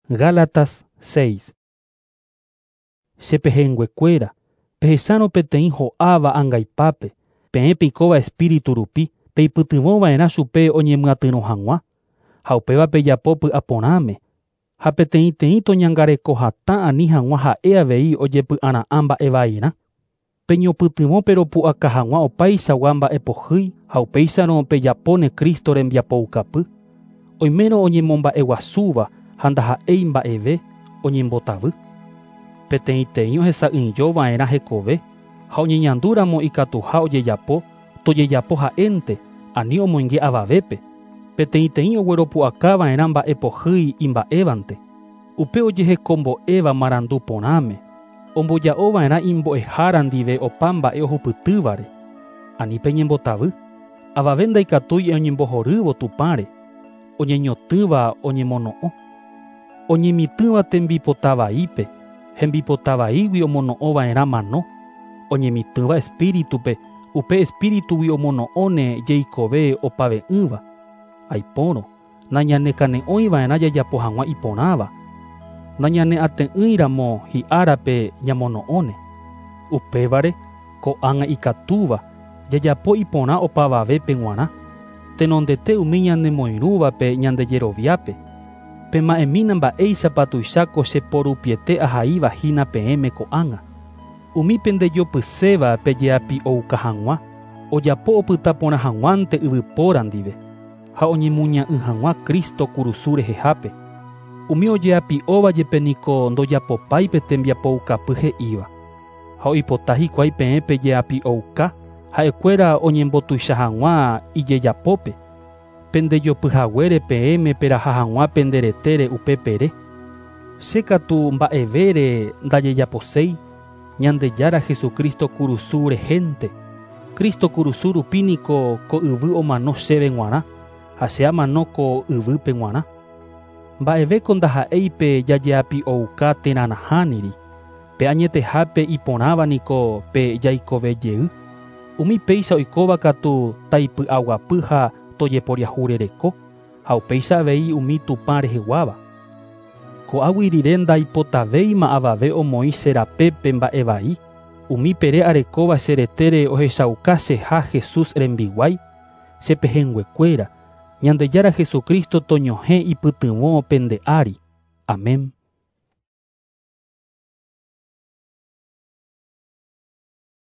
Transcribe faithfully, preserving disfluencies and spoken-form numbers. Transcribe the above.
Gálatas seis. Che pehẽnguekuéra, pehechárõ peteĩ ho'áva angaipape, peẽ peikóva espíritu rupi, peipytyvõva'erã chupe oñemyatyrõ hag̃ua, ha upéva pejapo py'aporãme, ha peteĩteĩ toñangareko hatã ani hag̃ua ha'e avei ojepy'ara'ã mba'evairã. Peñopytyvõ peropu'aka hag̃ua opaichagua mba'epohýi ha upéicharõ pejapóne Cristo rembiapoukapy. Oimérõ oñemomba'eguasúva ha ndaha'éi mba'eve oñembotavy. Peteĩteĩ ohesa'ỹijova'erã hekove ha oñeñandúramo ikatuha ojejapo, tojejapo ha'énte, ani omoinge avavépe. Peteĩteĩ ogueropu'akava'erã mba'epohýi imba'évante. Upe ojehekombo'éva marandu porãme, omboja'ova'erã imbo'ehára ndive opa mba'e ohupytývare. Ani peñembotavy, avave ndaikatúi oñembohorývo Tupãre, oñeñotỹva oñemono'õ. Oñemitỹva tembipotavaípe, hembipotavaígui omono'õva'erã mano. Oñemitỹva espíritupe, upe espíritugui omono'õne jeikove opave'ỹva. Aipórõ, nañanekane'õiva'erã jajapo hag̃ua iporãva. Nañaneate'ỹiramo hi'árape ñamono'õne. Upévare, ko'ág̃a ikatúva, jajapo iporã opavavépe g̃uarã. Tenondete umi ñanemoirũvape ñandejeroviápe. Pema'ẽmína mba'éichapa tuicháko cheporupiete ahaíva hína peẽme ko'ág̃a. Umi pendejopyséva pejeapi'ouka hag̃ua, ojapo opyta porã hag̃uánte yvypóra ndive, ha oñemuña'ỹ hag̃ua Cristo kurusu rehehápe. Umi ojeapi'óva jepe niko ndojapopái pe tembiapoukapy he'íva. Ha oipota hikuái peẽ pejeapi'ouka, ha'ekuéra oñembotuicha hag̃ua ijejapópe. Pendejopyhaguére peẽme peraha hag̃ua pende retére upe pere. Che katu mba'evére ndajejaposéi, Ñandejára Jesucristo kurusu rehénte. Cristo kurusu rupi niko ko yvy omano chéve g̃uarã, ha che amano ko yvýpe g̃uarã. Mba'evéko ndaha'éi pe jajeapi'ouka térã nahániri, pe añetehápe iporãva niko pe jaikove jey. Umi péicha oikóva katu taipy'aguapy ha tojeporiahurereko, ha upéicha avei umi Tupã reheguáva. Ko'águi rire ndaipotavéima avave omoĩ che rapépe mba'evai, umi pere arekóva che retére ohechauka cheha Jesús rembiguái, che pehẽnguekuéra, Ñandejára Jesucristo toñohẽ ipytyvõ pende ári. Amén.